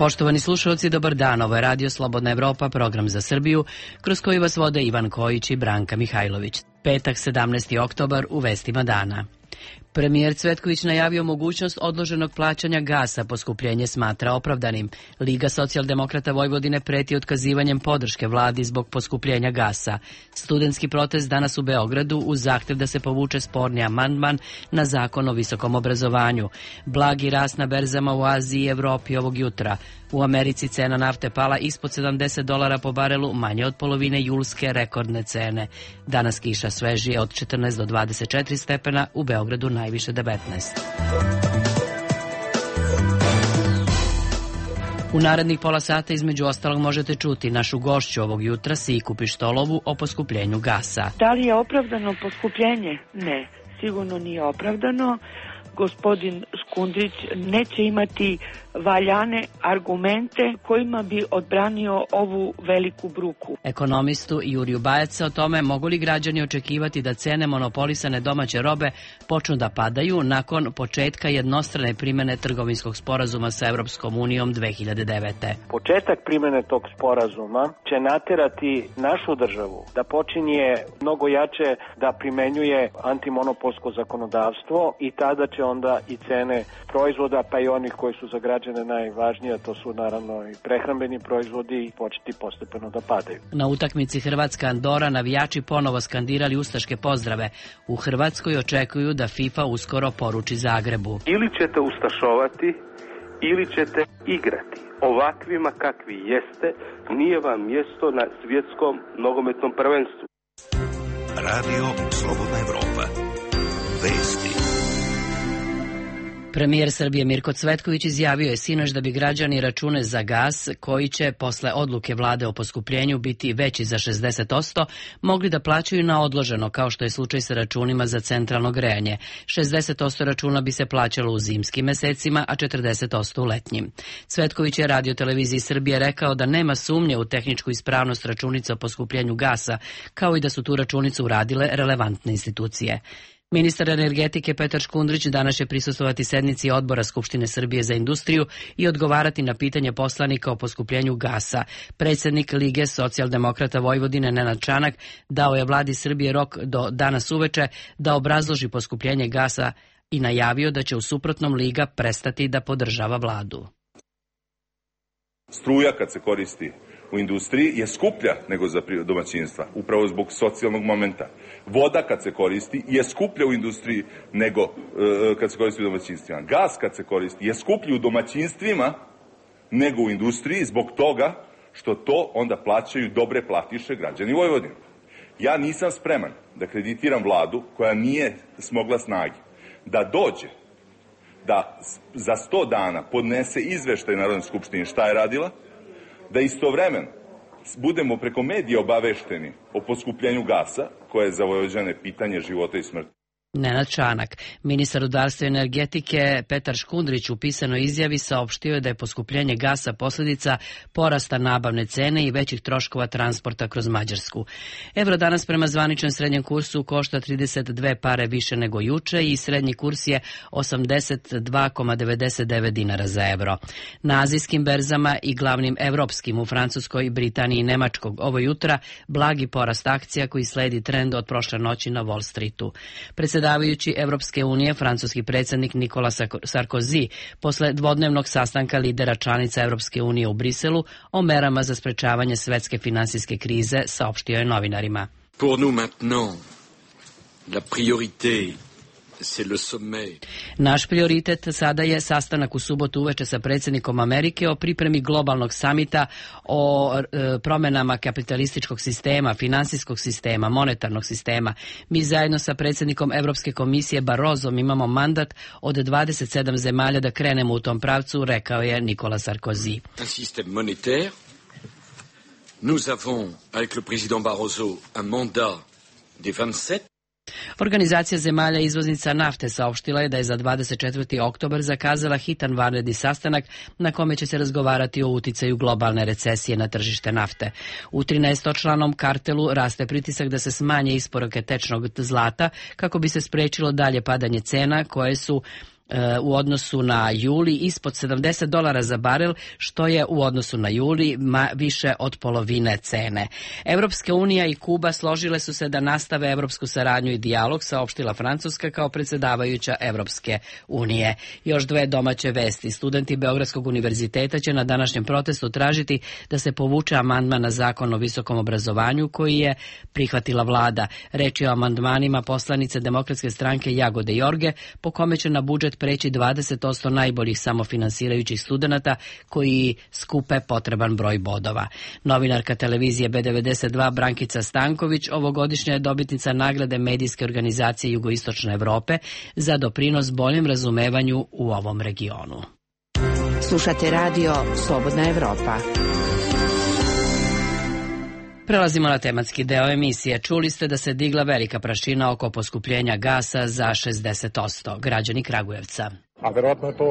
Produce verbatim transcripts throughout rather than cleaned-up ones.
Poštovani slušalci, dobar dan. Ovo je Radio Slobodna Evropa, program za Srbiju, kroz koji vas vode Ivan Kojić i Branka Mihajlović. Petak, sedamnaesti oktobar, u vestima dana. Premijer Cvetković najavio mogućnost odloženog plaćanja gasa, poskupljenje smatra opravdanim. Liga socijaldemokrata Vojvodine preti otkazivanjem podrške vladi zbog poskupljenja gasa. Studentski protest danas u Beogradu uz zahtev da se povuče sporni amandman na zakon o visokom obrazovanju. Blagi rast na berzama u Aziji i Evropi ovog jutra. U Americi cena nafte pala ispod sedamdeset dolara po barelu, manje od polovine julske rekordne cene. Danas kiša svežije od četrnaest do dvadeset četiri stepena, u Beogradu najviše devetnaest. U narednih pola sata između ostalog možete čuti našu gošću ovog jutra, Siku Pištolovu, o poskupljenju gasa. Da li je opravdano poskupljenje? Ne, sigurno nije opravdano. Gospodin Škundrić neće imati valjane argumente kojima bi odbranio ovu veliku bruku. Ekonomistu Juriju Bajaca o tome mogu li građani očekivati da cene monopolisane domaće robe počnu da padaju nakon početka jednostrane primene trgovinskog sporazuma sa Evropskom unijom dve hiljade devete. Početak primene tog sporazuma će naterati našu državu da počinje mnogo jače da primenjuje antimonopolsko zakonodavstvo i tada će onda i cene proizvoda, pa i onih koji su za građane najvažnije, to su naravno i prehrambeni proizvodi, početi postepeno da padaju. Na utakmici Hrvatska-Andora navijači ponovo skandirali ustaške pozdrave. U Hrvatskoj očekuju da FIFA uskoro poruči Zagrebu. Ili ćete ustašovati, ili ćete igrati. Ovakvima kakvi jeste, nije vam mjesto na svjetskom nogometnom prvenstvu. Radio Slobodna Evropa. Vesti. Premijer Srbije Mirko Cvetković izjavio je sinoć da bi građani račune za gas, koji će posle odluke vlade o poskupljenju biti veći za šezdeset posto, mogli da plaćaju na odloženo, kao što je slučaj sa računima za centralno grejanje. šezdeset posto računa bi se plaćalo u zimskim mesecima, a četrdeset posto u letnjim. Cvetković je Radio televiziji Srbije rekao da nema sumnje u tehničku ispravnost računica o poskupljenju gasa, kao i da su tu računicu uradile relevantne institucije. Ministar energetike Petar Škundrić danas će prisustvovati sednici Odbora Skupštine Srbije za industriju i odgovarati na pitanje poslanika o poskupljenju gasa. Predsjednik Lige socijaldemokrata Vojvodine Nenad Čanak dao je vladi Srbije rok do danas uveče da obrazloži poskupljenje gasa i najavio da će u suprotnom Liga prestati da podržava vladu. Struja kad se koristi u industriji je skuplja nego za domaćinstva, upravo zbog socijalnog momenta. Voda kad se koristi je skuplja u industriji nego e, kad se koristi u domaćinstvima. Gas kad se koristi je skuplji u domaćinstvima nego u industriji zbog toga što to onda plaćaju dobre platiše građani Vojvodine. Ja nisam spreman da kreditiram vladu koja nije smogla snage da dođe da za sto dana podnese izveštaj Narodne skupštine šta je radila, da istovremeno budemo preko medija obavešteni o poskupljenju gasa, koje je za Vojvođane pitanje života i smrti. Nenad Čanak. Ministar rudarstva i energetike Petar Škundrić u pisanoj izjavi saopštio je da je poskupljenje gasa posljedica porasta nabavne cene i većih troškova transporta kroz Mađarsku. Evro danas prema zvaničnom srednjem kursu košta trideset dve pare više nego juče i srednji kurs je osamdeset dva zarez devedeset devet dinara za evro. Na azijskim berzama i glavnim evropskim u Francuskoj, Britaniji i Nemačkog ovo jutra blagi porast akcija koji sledi trend od prošle noći na Wall Streetu. Predsjedavajući Evropske unije, francuski predsjednik Nikola Sarkozy, posle dvodnevnog sastanka lidera članica Evropske unije u Briselu o merama za sprečavanje svetske finansijske krize, saopštio je novinarima. Pour nous maintenant, la priorité Naš prioritet sada je sastanak u subotu uveče sa predsjednikom Amerike o pripremi globalnog samita o e, promjenama kapitalističkog sistema, finansijskog sistema, monetarnog sistema. Mi zajedno sa predsjednikom Evropske komisije Barrozom imamo mandat od dvadeset sedam zemalja da krenemo u tom pravcu, rekao je Nikola Sarkozy. Un système monétaire. Nous avons, avec le président Barroso, un mandat des vingt-sept. Organizacija zemalja izvoznica nafte saopštila je da je za dvadeset četvrti oktobar zakazala hitan vanredni sastanak na kome će se razgovarati o uticaju globalne recesije na tržište nafte. U trinaestočlanom kartelu raste pritisak da se smanje isporuke tečnog zlata kako bi se sprečilo dalje padanje cena koje su u odnosu na juli ispod sedamdeset dolara za barel, što je u odnosu na juli više od polovine cene. Evropska unija i Kuba složile su se da nastave evropsku saradnju i dijalog, saopštila Francuska kao predsjedavajuća Evropske unije. Još dve domaće vesti. Studenti Beogradskog univerziteta će na današnjem protestu tražiti da se povuče amandman na zakon o visokom obrazovanju koji je prihvatila vlada. Reč je o amandmanima poslanice Demokratske stranke Jagode Jorge, po kome će na budžet preći dvadeset posto najboljih samofinansirajućih studenata koji skupe potreban broj bodova. Novinarka televizije B devedeset dva Brankica Stanković ovogodišnja je dobitnica nagrade medijske organizacije Jugoistočne Evrope za doprinos boljem razumevanju u ovom regionu. Slušate radio Slobodna Evropa. Prelazimo na tematski deo emisije. Čuli ste da se digla velika prašina oko poskupljenja gasa za šezdeset posto. Građani Kragujevca. A verovatno je to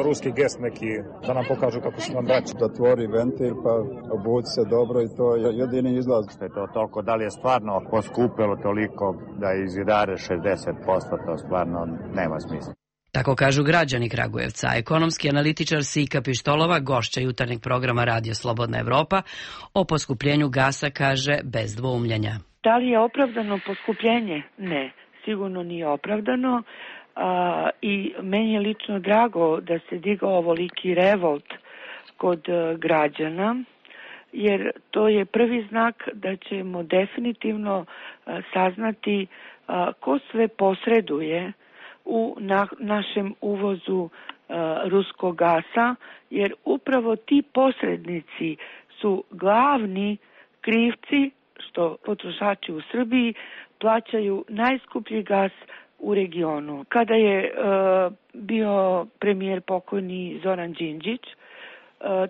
ruski gest neki, da nam pokažu kako su nam braći. Da tvori ventil pa obuci se dobro i to je jedini izlaz. Što je to toliko, da li je stvarno poskupilo toliko da izidare šezdeset posto, to stvarno nema smisla. Tako kažu građani Kragujevca. Ekonomski analitičar Sika Pištolova, gošća jutarnjeg programa Radio Slobodna Evropa, o poskupljenju gasa kaže bez dvoumljenja. Da li je opravdano poskupljenje? Ne, sigurno nije opravdano. A, i meni je lično drago da se digao ovoliki revolt kod a, građana, jer to je prvi znak da ćemo definitivno a, saznati a, ko sve posreduje u na, našem uvozu a, ruskog gasa, jer upravo ti posrednici su glavni krivci što potrošači u Srbiji plaćaju najskuplji gas u regionu. Kada je e, bio premijer pokojni Zoran Đinđić, e,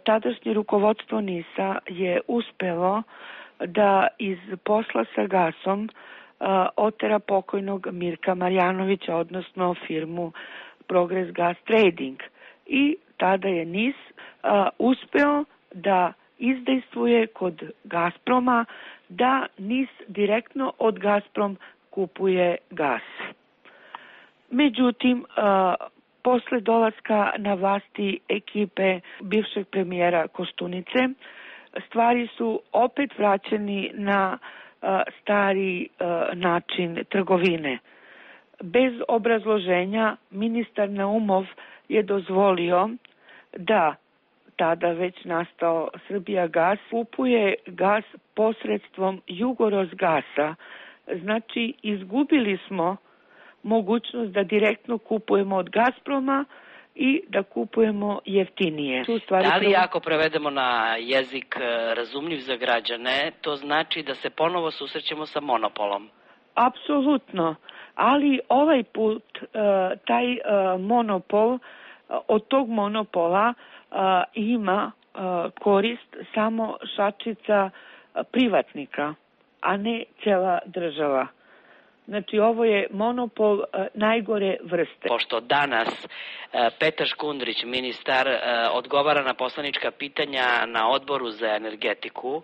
tadašnje rukovodstvo NIS-a je uspelo da iz posla sa gasom e, otera pokojnog Mirka Marjanovića, odnosno firmu Progress Gas Trading. I tada je NIS e, uspeo da izdejstvuje kod Gazproma da NIS direktno od Gazprom kupuje gas. Međutim, posle dolaska na vlasti ekipe bivšeg premijera Koštunice, stvari su opet vraćeni na stari način trgovine. Bez obrazloženja ministar Naumov je dozvolio da tada već nastao Srbijagas kupuje gas posredstvom Jugorosgasa. Znači, izgubili smo mogućnost da direktno kupujemo od Gazproma i da kupujemo jeftinije. Da li ako prevedemo na jezik razumljiv za građane, to znači da se ponovo susrećemo sa monopolom? Apsolutno, ali ovaj put taj monopol, od tog monopola ima korist samo šačica privatnika, a ne cela država. Znači, ovo je monopol uh, najgore vrste. Pošto danas uh, Petar Škundrić, ministar, uh, odgovara na poslanička pitanja na odboru za energetiku uh,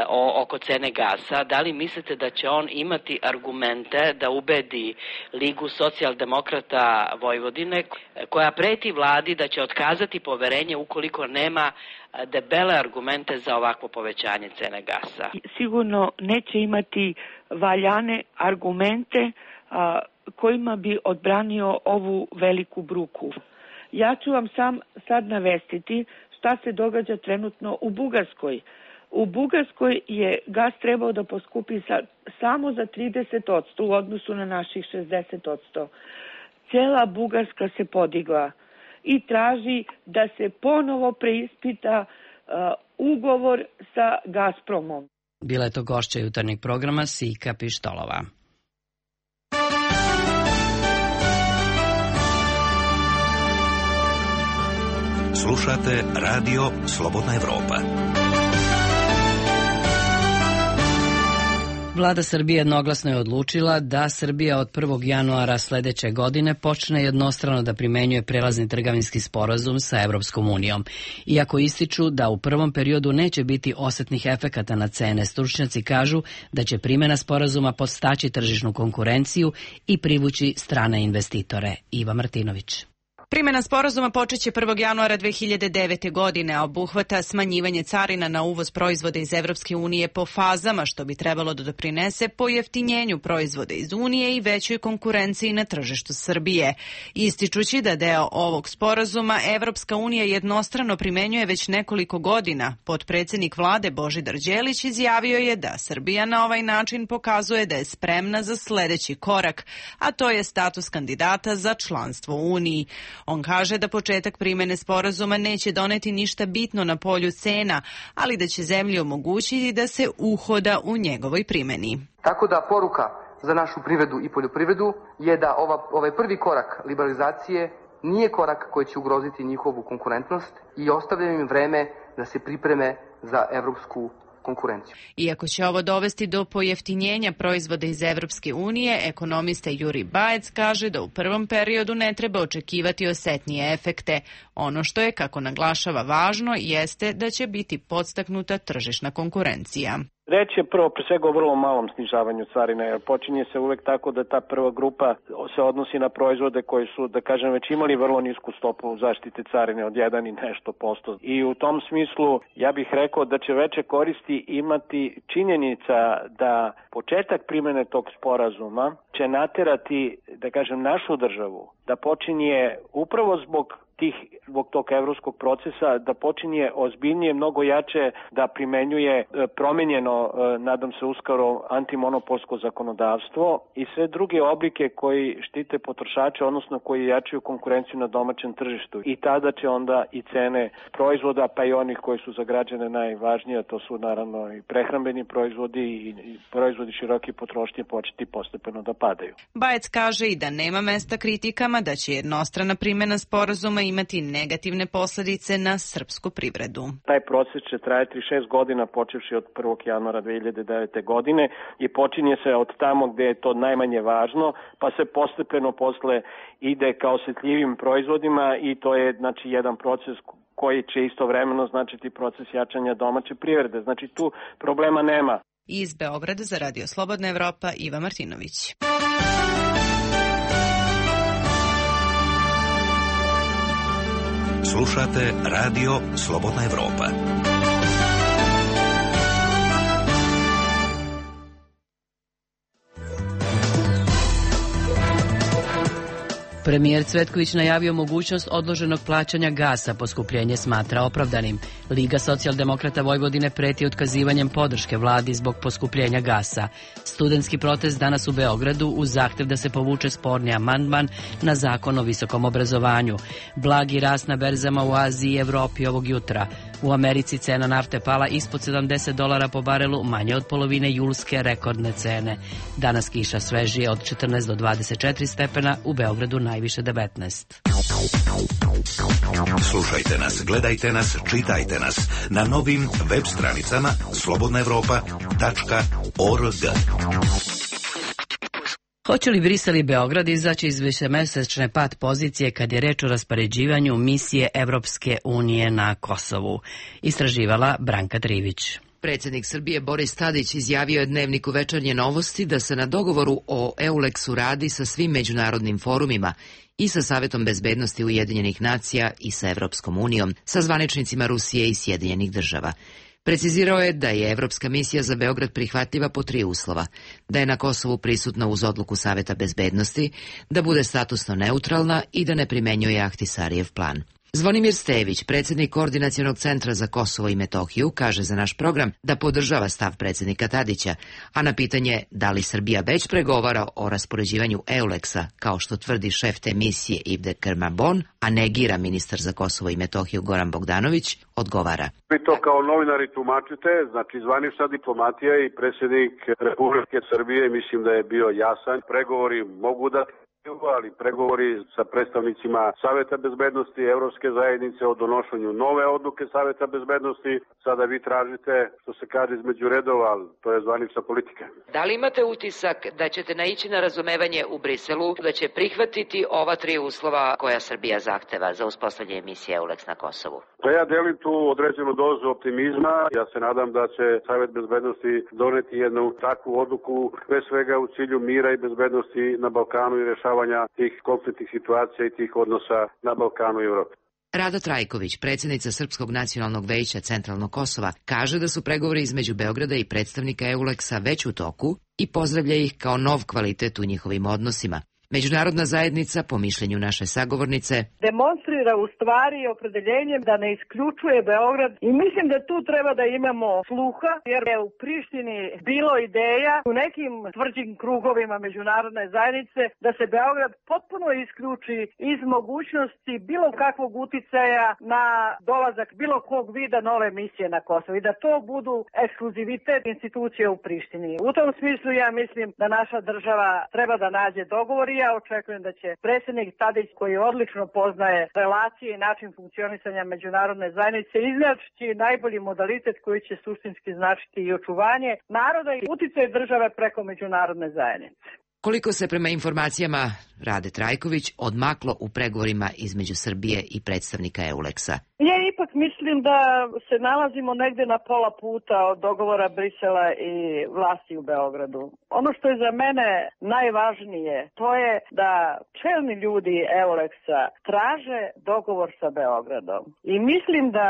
o, oko cene gasa, da li mislite da će on imati argumente da ubedi Ligu socijaldemokrata Vojvodine, koja preti vladi da će otkazati poverenje ukoliko nema debele argumente za ovakvo povećanje cene gasa? Sigurno neće imati valjane argumente a, kojima bi odbranio ovu veliku bruku. Ja ću vam sam sad navestiti šta se događa trenutno u Bugarskoj. U Bugarskoj je gas trebao da poskupi sa, samo za trideset posto u odnosu na naših šezdeset posto. Cela Bugarska se podigla i traži da se ponovo preispita uh, ugovor sa Gazpromom. Bila je to gošća jutarnjeg programa Sika Pištolova. Slušate Radio Slobodna Evropa. Vlada Srbije jednoglasno je odlučila da Srbija od prvog januara sledeće godine počne jednostrano da primenjuje prelazni trgovinski sporazum sa Evropskom unijom. Iako ističu da u prvom periodu neće biti osetnih efekata na cene, stručnjaci kažu da će primjena sporazuma podstaći tržišnu konkurenciju i privući strane investitore. Iva Martinović. Primjena sporazuma počeće prvog januara dve hiljade devete. godine, a obuhvata smanjivanje carina na uvoz proizvoda iz Evropske unije po fazama, što bi trebalo da doprinese pojeftinjenju proizvoda iz Unije i većoj konkurenciji na tržištu Srbije. Ističući da deo ovog sporazuma Evropska unija jednostrano primenjuje već nekoliko godina, potpredsednik vlade Božidar Đelić izjavio je da Srbija na ovaj način pokazuje da je spremna za sledeći korak, a to je status kandidata za članstvo u Uniji. On kaže da početak primene sporazuma neće doneti ništa bitno na polju cena, ali da će zemlji omogućiti da se uhoda u njegovoj primeni. Tako da poruka za našu privredu i poljoprivredu je da ova, ovaj prvi korak liberalizacije nije korak koji će ugroziti njihovu konkurentnost i ostavljaju im vreme da se pripreme za evropsku konkurenciju. Iako će ovo dovesti do pojeftinjenja proizvoda iz Evropske unije, ekonomista Juri Bajec kaže da u prvom periodu ne treba očekivati osetnije efekte. Ono što je, kako naglašava, važno jeste da će biti podstaknuta tržišna konkurencija. Reč je prvo pre svega o vrlo malom snižavanju carina, jer počinje se uvek tako da ta prva grupa se odnosi na proizvode koji su, da kažem, već imali vrlo nisku stopu zaštite carine od jedan i nešto posto. I u tom smislu ja bih rekao da će veće koristi imati činjenica da početak primene tog sporazuma će naterati, da kažem, našu državu da počinje upravo zbog tih, zbog tog evropskog procesa, da počinje ozbiljnije, mnogo jače da primenjuje promenjeno, nadam se uskoro, antimonopolsko zakonodavstvo i sve druge oblike koji štite potrošače, odnosno koji jačaju konkurenciju na domaćem tržištu. I tada će onda i cene proizvoda, pa i onih koji su za građane najvažnije, to su naravno i prehrambeni proizvodi i proizvodi široke potrošnje, početi postepeno da padaju. Bajec kaže i da nema mesta kritikama da će jednostrana primjena sporazuma imati negativne posledice na srpsku privredu. Taj proces će trajati šest godina, počevši od prvog januara dve hiljade devete. godine i počinje se od tamo gde je to najmanje važno, pa se postepeno posle ide ka osetljivim proizvodima i to je, znači, jedan proces koji će istovremeno značiti proces jačanja domaće privrede. Znači, tu problema nema. Iz Beograda za Radio Slobodna Evropa, Iva Martinović. Slušate Radio Slobodna Evropa. Premijer Cvetković najavio mogućnost odloženog plaćanja gasa, poskupljenje smatra opravdanim. Liga socijaldemokrata Vojvodine preti otkazivanjem podrške vladi zbog poskupljenja gasa. Studentski protest danas u Beogradu uz zahtev da se povuče sporni amandman na zakon o visokom obrazovanju. Blagi rast na berzama u Aziji i Evropi ovog jutra. U Americi cena nafte pala ispod sedamdeset dolara po barelu, manje od polovine julske rekordne cene. Danas kiša svežije od četrnaest do dvadeset četiri stepena, u Beogradu najviše devetnaest. Slušajte nas, gledajte nas, čitajte nas na novim web stranicama slobodna evropa tačka org. Hoće li Brisel i Beograd izaći iz višemesečne pad pozicije kad je reč o raspoređivanju misije Evropske unije na Kosovu? Istraživala Branka Trivić. Predsjednik Srbije Boris Tadić izjavio je Dnevniku Večernje novosti da se na dogovoru o EULEX-u radi sa svim međunarodnim forumima i sa Savetom bezbednosti Ujedinjenih nacija i sa Evropskom unijom, sa zvaničnicima Rusije i Sjedinjenih država. Precizirao je da je Evropska misija za Beograd prihvatljiva po tri uslova: da je na Kosovu prisutna uz odluku Saveta bezbednosti, da bude statusno neutralna i da ne primenjuje Ahtisarijev plan. Zvonimir Stević, predsjednik Koordinacionog centra za Kosovo i Metohiju, kaže za naš program da podržava stav predsjednika Tadića, a na pitanje da li Srbija već pregovara o raspoređivanju EULEX-a, kao što tvrdi šef te misije Ivde Kermabon, a negira ministar za Kosovo i Metohiju Goran Bogdanović, odgovara. Vi to kao novinari tumačite, znači zvanična diplomatija i predsjednik Republike Srbije, mislim da je bio jasan. Pregovori mogu da ali pregovori sa predstavnicima Saveta bezbednosti Evropske zajednice o donošenju nove odluke Saveta bezbednosti. Sada vi tražite, što se kaže, između redova, ali to je zvanična politika. Da li imate utisak da ćete naići na razumevanje u Briselu, da će prihvatiti ova tri uslova koja Srbija zahteva za uspostavljanje misije EULEX na Kosovu? Pa ja delim tu određenu dozu optimizma. Ja se nadam da će Savet bezbednosti doneti jednu takvu odluku, pre svega u cilju mira i bezbednosti na Balkanu i rešavanja rešavanja tih konfliktnih situacija i tih odnosa na Balkanu i Evropi. Rada Trajković, predsjednica Srpskog nacionalnog veća Centralnog Kosova, kaže da su pregovori između Beograda i predstavnika Euleksa već u toku i pozdravlja ih kao nov kvalitet u njihovim odnosima. Međunarodna zajednica, po mišljenju naše sagovornice, demonstrira u stvari opredeljenjem da ne isključuje Beograd i mislim da tu treba da imamo sluha, jer je u Prištini bilo ideja u nekim tvrđim krugovima međunarodne zajednice da se Beograd potpuno isključi iz mogućnosti bilo kakvog uticaja na dolazak bilo kog vida nove misije na Kosovo i da to budu ekskluzivitet institucije u Prištini. U tom smislu ja mislim da naša država treba da nađe dogovor i ja očekujem da će predsjednik Tadić, koji odlično poznaje relacije i način funkcionisanja međunarodne zajednice, iznaći najbolji modalitet koji će suštinski značiti i očuvanje naroda i uticaj države preko međunarodne zajednice. Koliko se prema informacijama Rade Trajković odmaklo u pregovorima između Srbije i predstavnika Euleksa? Ja ipak mislim da se nalazimo negde na pola puta od dogovora Brisela i vlasti u Beogradu. Ono što je za mene najvažnije, to je da čelni ljudi Euleksa traže dogovor sa Beogradom. I mislim da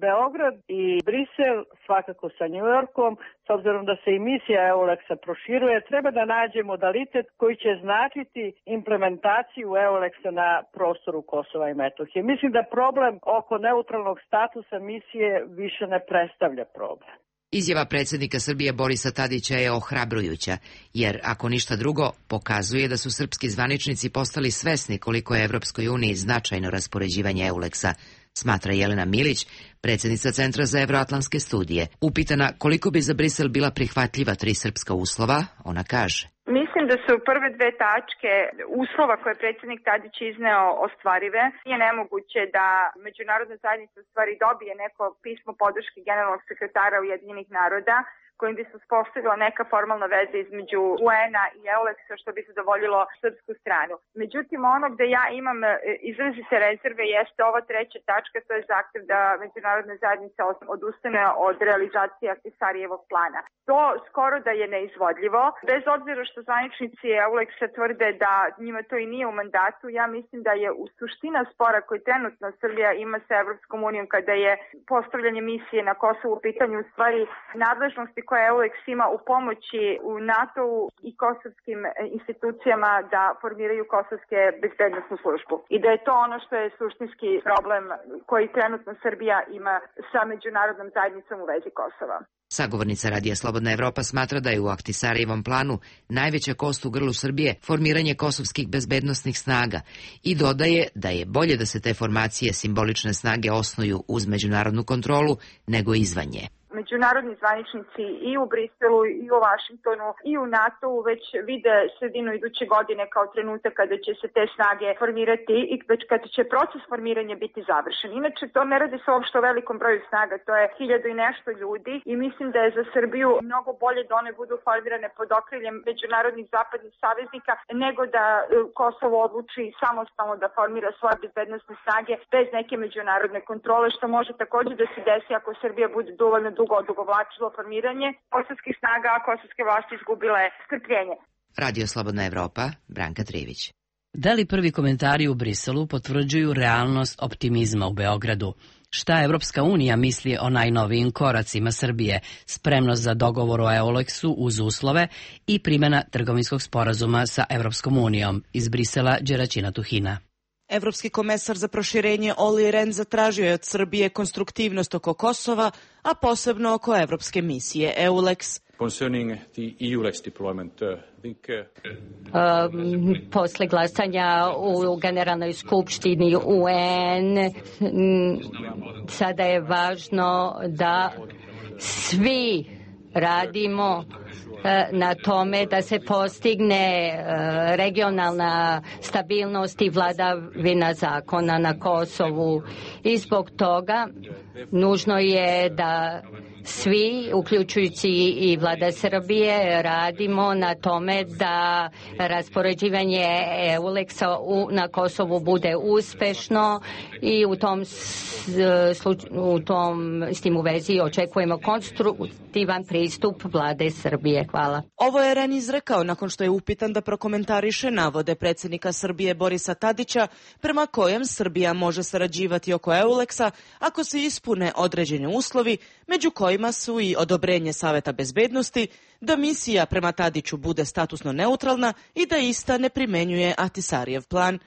Beograd i Brisel, svakako sa Njujorkom, s obzirom da se i misija Euleksa proširuje, treba da nađe modalitet koji će značiti implementaciju Euleksa na prostoru Kosova i Metohije. Mislim da problem oko neutralnog statusa misije više ne predstavlja problem. Izjava predsjednika Srbije Borisa Tadića je ohrabrujuća, jer ako ništa drugo, pokazuje da su srpski zvaničnici postali svesni koliko je Evropskoj uniji značajno raspoređivanje Euleksa, smatra Jelena Milić, predsjednica Centra za evroatlantske studije. Upitana koliko bi za Brisel bila prihvatljiva tri srpska uslova, ona kaže: Mislim da su prve dve tačke uslova koje je predsjednik Tadić izneo ostvarive. Nije nemoguće da međunarodna zajednica u stvari dobije neko pismo podrške generalnog sekretara Ujedinjenih naroda kojim bi se uspostavila neka formalna veza između U N-a i Euleksa što bi zadovoljilo srpsku stranu. Međutim, ono gde ja imam izrazite rezerve jeste ova treća tačka, to je zahtev da međunarodna zajednica odustane od realizacije Ahtisarijevog plana. To skoro da je neizvodljivo. Bez obzira što zvaničnici Euleksa tvrde da njima to i nije u mandatu, ja mislim da je u suština spora koji trenutno Srbija ima sa Evropskom unijom kada je postavljanje misije na Kosovu u pitanju u stvari nadležnosti koje Euleks ima u pomoći u NATO-u i kosovskim institucijama da formiraju kosovske bezbednosnu službu. I da je to ono što je suštinski problem koji trenutno Srbija ima sa međunarodnom zajednicom u vezi Kosova. Sagovornica Radija Slobodna Evropa smatra da je u Ahtisarijevom planu najveća kost u grlu Srbije formiranje kosovskih bezbednosnih snaga i dodaje da je bolje da se te formacije simbolične snage osnuju uz međunarodnu kontrolu nego izvan nje. Međunarodni zvaničnici i u Briselu i u Vašingtonu i u NATO-u već vide sredinu iduće godine kao trenutak kada će se te snage formirati i već kada će proces formiranja biti završen. Inače, to ne radi se uopšte o velikom broju snaga, to je hiljadu i nešto ljudi i mislim da je za Srbiju mnogo bolje da one budu formirane pod okriljem međunarodnih zapadnih saveznika nego da Kosovo odluči samostalno da formira svoje bezbednosne snage bez neke međunarodne kontrole, što može također da se desi ako Srbija bude dovoljno dugo odugovlačilo formiranje kosovskih snaga, a kosovske vlasti izgubile strpljenje. Radio Slobodna Evropa, Branka Trivić. Da li prvi komentari u Briselu potvrđuju realnost optimizma u Beogradu? Šta Evropska unija misli o najnovijim koracima Srbije, spremnost za dogovor o Euleksu uz uslove i primjena trgovinskog sporazuma sa Evropskom unijom? Iz Brisela, Đeraćina Tuhina. Evropski komesar za proširenje Olli Rehn zatražio je od Srbije konstruktivnost oko Kosova, a posebno oko evropske misije Euleks. Concerning the Euleks deployment, uh, I think, uh... um, posle glasanja u Generalnoj skupštini U N, sada je važno da svi radimo na tome da se postigne regionalna stabilnost i vladavina zakona na Kosovu i zbog toga nužno je da svi, uključujući i vlada Srbije, radimo na tome da raspoređivanje Euleksa na Kosovu bude uspešno i u tom, u tom s tim u vezi očekujemo konstruktivan pristup vlade Srbije. Hvala. Ovo je Ren izrekao nakon što je upitan da prokomentariše navode predsjednika Srbije Borisa Tadića prema kojem Srbija može sarađivati oko Euleksa ako se ispune određeni uslovi, među kojima su i odobrenje Saveta bezbednosti, da misija prema Tadiću bude statusno neutralna i da ista ne primenjuje Ahtisarijev plan.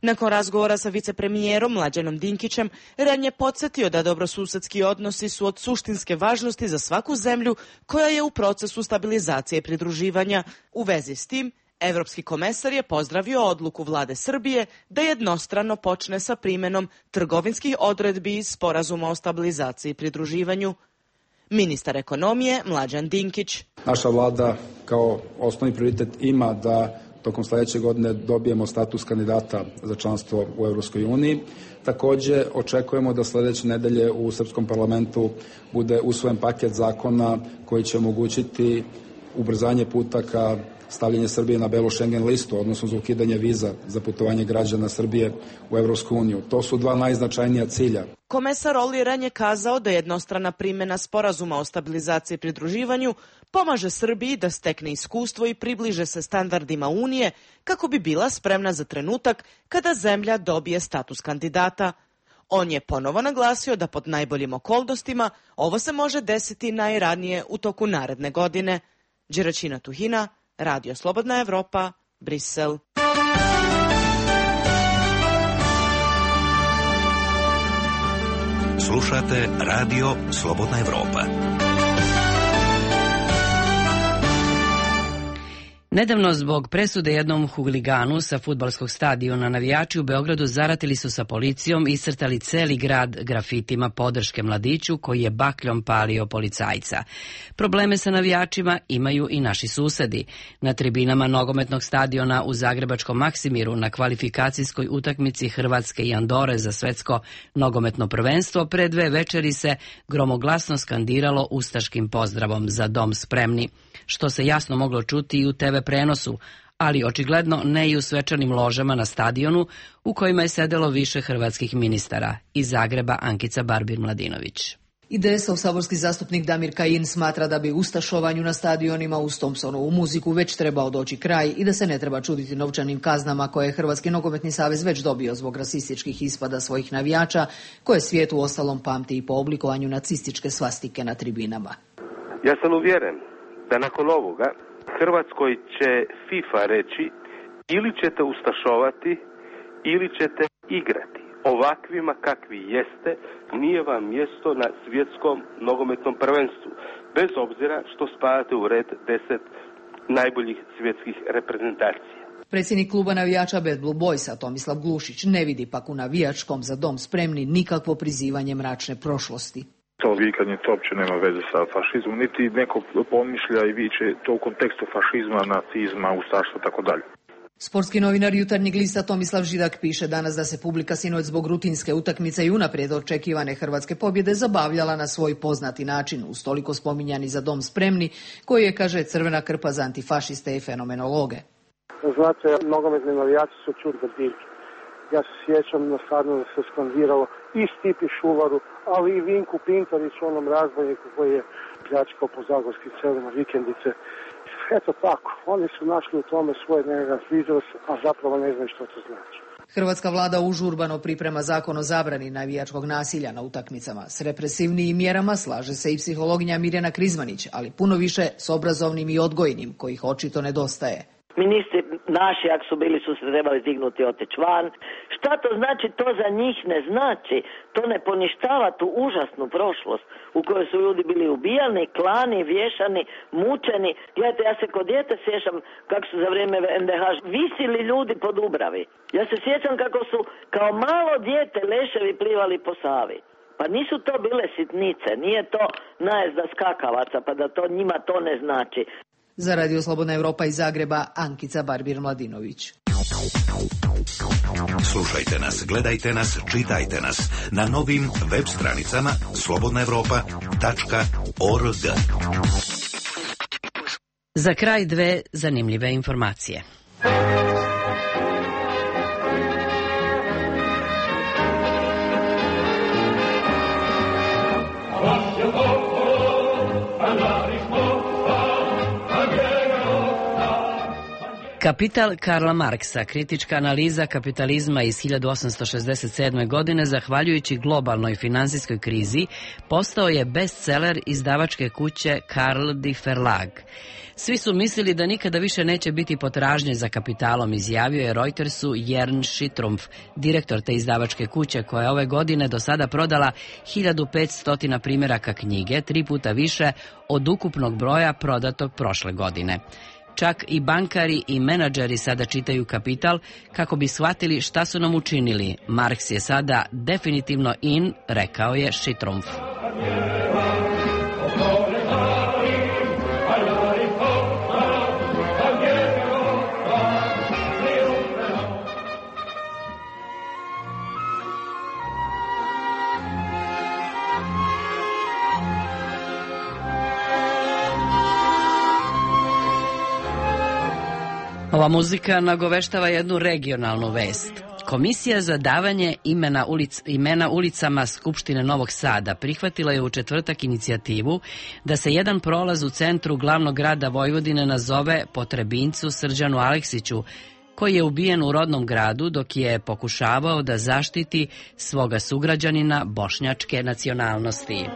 Nakon razgovora sa vicepremijerom Mlađanom Dinkićem, Ren je podsjetio da dobrosusedski odnosi su od suštinske važnosti za svaku zemlju koja je u procesu stabilizacije i pridruživanja. U vezi s tim, Evropski komesar je pozdravio odluku vlade Srbije da jednostrano počne sa primenom trgovinskih odredbi iz Sporazuma o stabilizaciji i pridruživanju. Ministar ekonomije Mlađan Dinkić. Naša vlada kao osnovni prioritet ima da tokom sledeće godine dobijemo status kandidata za članstvo u Evropskoj uniji. Takođe, očekujemo da sledeće nedelje u Srpskom parlamentu bude usvojen paket zakona koji će omogućiti ubrzanje puta ka stavljanje Srbije na belu Schengen listu, odnosno za ukidanje viza za putovanje građana Srbije u Evropsku uniju. To su dva najznačajnija cilja. Komesar Olli Rehn je kazao da jednostrana primjena Sporazuma o stabilizaciji i pridruživanju pomaže Srbiji da stekne iskustvo i približe se standardima Unije kako bi bila spremna za trenutak kada zemlja dobije status kandidata. On je ponovo naglasio da pod najboljim okolnostima ovo se može desiti najranije u toku naredne godine. Đeračina Tuhina, Radio Slobodna Evropa, Brisel. Slušate Radio Slobodna Evropa. Nedavno zbog presude jednom huliganu sa fudbalskog stadiona navijači u Beogradu zaratili su sa policijom i iscrtali celi grad grafitima podrške mladiću koji je bakljom palio policajca. Probleme sa navijačima imaju i naši susedi. Na tribinama nogometnog stadiona u zagrebačkom Maksimiru na kvalifikacijskoj utakmici Hrvatske i Andore za svetsko nogometno prvenstvo pre dve večeri se gromoglasno skandiralo ustaškim pozdravom za dom spremni, što se jasno moglo čuti i u te ve prenosu, ali očigledno ne i u svečanim ložama na stadionu u kojima je sedelo više hrvatskih ministara. Iz Zagreba Ankica Barbir-Mladinović. I de es ov saborski zastupnik Damir Kajin smatra da bi ustašovanju na stadionima uz Thompsonovu muziku već trebao doći kraj i da se ne treba čuditi novčanim kaznama koje je Hrvatski nogometni savez već dobio zbog rasističkih ispada svojih navijača, koje svijet u ostalom pamti i po oblikovanju nacističke svastike na tribinama. Ja sam uvjeren da nakon ovoga Hrvatskoj će FIFA reći ili ćete ustašovati ili ćete igrati. Ovakvima kakvi jeste, nije vam mjesto na svjetskom nogometnom prvenstvu, bez obzira što spadate u red deset najboljih svjetskih reprezentacija. Predsjednik kluba navijača Bad Blue Boysa Tomislav Glušić ne vidi pak u navijačkom za dom spremni nikakvo prizivanje mračne prošlosti. To vikanje to uopće nema veze sa fašizmom, niti neko pomišlja i viče to u kontekstu fašizma, nacizma, ustaštva, tako dalje. Sportski novinar Jutarnjeg lista Tomislav Židak piše danas da se publika sinoć zbog rutinske utakmice i unaprijed očekivane hrvatske pobjede zabavljala na svoj poznati način, uz toliko spominjani za dom spremni, koji je, kaže, crvena krpa za antifašiste i fenomenologe. Znate, nogometni navijači su čudne biljke. Ja se sjećam na stadionu da se skandiralo i Stipi Šuvaru, ali i Vinku Pintariću, onom razbojniku koji je pljačkao po zagorskih celima vikendice. Eto tako, oni su našli u tome svoj nekakav izraz, a zapravo ne znaju što to znači. Hrvatska vlada užurbano priprema zakon o zabrani navijačkog nasilja na utakmicama. S represivnijim mjerama slaže se i psihologinja Mirjana Krizmanić, ali puno više s obrazovnim i odgojnim, kojih očito nedostaje. Ministri naši, ako su bili, su se trebali dignuti i otići van. Šta to znači? To za njih ne znači. To ne poništava tu užasnu prošlost u kojoj su ljudi bili ubijani, klani, vješani, mučeni. Gledajte, ja se kod djete sjećam kako su za vrijeme en de ha visili ljudi po Dubravi. Ja se sjećam kako su kao malo dijete leševi plivali po Savi. Pa nisu to bile sitnice, nije to najezda skakavaca, pa da to njima to ne znači. Za Radio Slobodna Evropa iz Zagreba, Ankica Barbir-Mladinović. Slušajte nas, gledajte nas, čitajte nas na novim web stranicama slobodna evropa tačka org. Za kraj dve zanimljive informacije. Kapital Karla Marksa, kritička analiza kapitalizma iz hiljadu osamsto šezdeset sedme. godine, zahvaljujući globalnoj finansijskoj krizi, postao je bestseller izdavačke kuće Carl die Verlag. Svi su mislili da nikada više neće biti potražnje za kapitalom, izjavio je Reutersu Jern Schittrumpf, direktor te izdavačke kuće, koja je ove godine do sada prodala hiljadu petsto primjeraka knjige, tri puta više od ukupnog broja prodatog prošle godine. Čak i bankari i menadžeri sada čitaju Kapital kako bi shvatili šta su nam učinili. Marks je sada definitivno in, rekao je Schittrumpf. Ova muzika nagoveštava jednu regionalnu vest. Komisija za davanje imena, ulic, imena ulicama Skupštine Novog Sada prihvatila je u četvrtak inicijativu da se jedan prolaz u centru glavnog grada Vojvodine nazove po Trebinjcu Srđanu Aleksiću, koji je ubijen u rodnom gradu dok je pokušavao da zaštiti svoga sugrađanina bošnjačke nacionalnosti.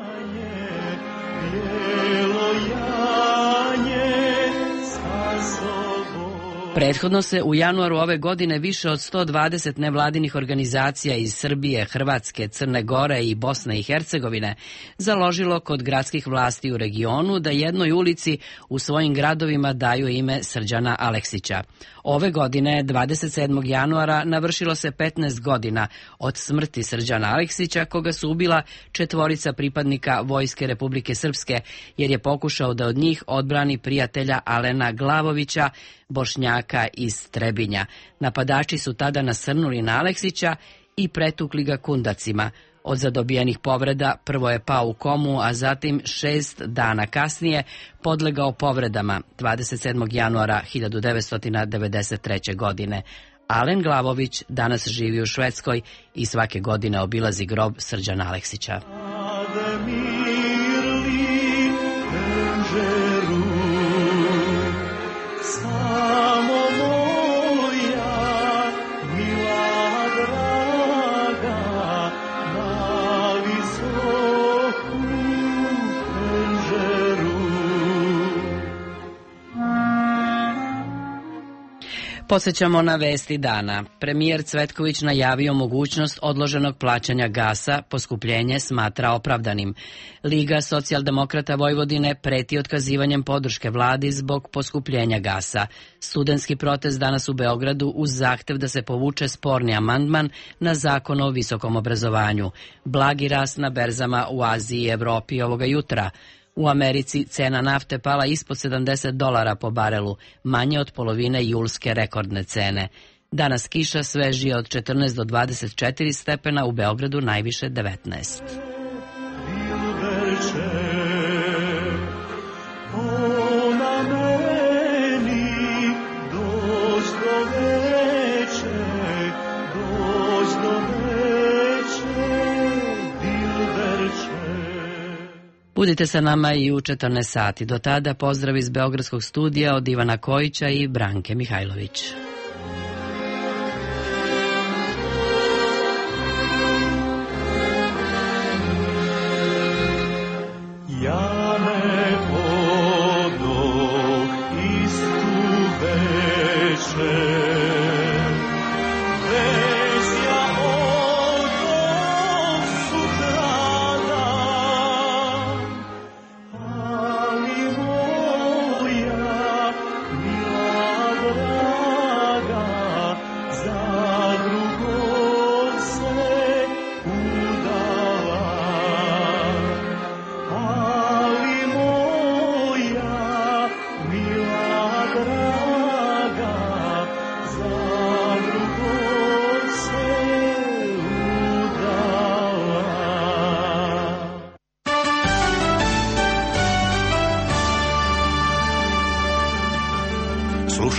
Prethodno se u januaru ove godine više od sto dvadeset nevladinih organizacija iz Srbije, Hrvatske, Crne Gore i Bosne i Hercegovine založilo kod gradskih vlasti u regionu da jednoj ulici u svojim gradovima daju ime Srđana Aleksića. Ove godine, dvadeset sedmog januara, navršilo se petnaest godina od smrti Srđana Aleksića, koga su ubila četvorica pripadnika Vojske Republike Srpske, jer je pokušao da od njih odbrani prijatelja Alena Glavovića, Bošnjaka iz Trebinja. Napadači su tada nasrnuli na Aleksića i pretukli ga kundacima. Od zadobijenih povreda prvo je pao u komu, a zatim šest dana kasnije podlegao povredama dvadeset sedmog januara hiljadu devetsto devedeset treće. godine. Alen Glavović danas živi u Švedskoj i svake godine obilazi grob Srđana Aleksića. Podsjećamo na vesti dana. Premijer Cvetković najavio mogućnost odloženog plaćanja gasa, poskupljenje smatra opravdanim. Liga socijaldemokrata Vojvodine preti otkazivanjem podrške vladi zbog poskupljenja gasa. Studentski protest danas u Beogradu uz zahtev da se povuče sporni amandman na zakon o visokom obrazovanju. Blagi rast na berzama u Aziji i Evropi ovoga jutra. U Americi cena nafte pala ispod sedamdeset dolara po barelu, manje od polovine julske rekordne cene. Danas kiša, svežije od četrnaest do dvadeset četiri stepena, u Beogradu najviše devetnaest. Budite sa nama i u četrnaest sati. Do tada pozdrav iz Beogradskog studija od Ivana Kojića i Branke Mihajlović. Ja ne odoh istu večer. Draga, za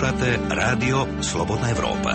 Slušate radio Slobodna Evropa.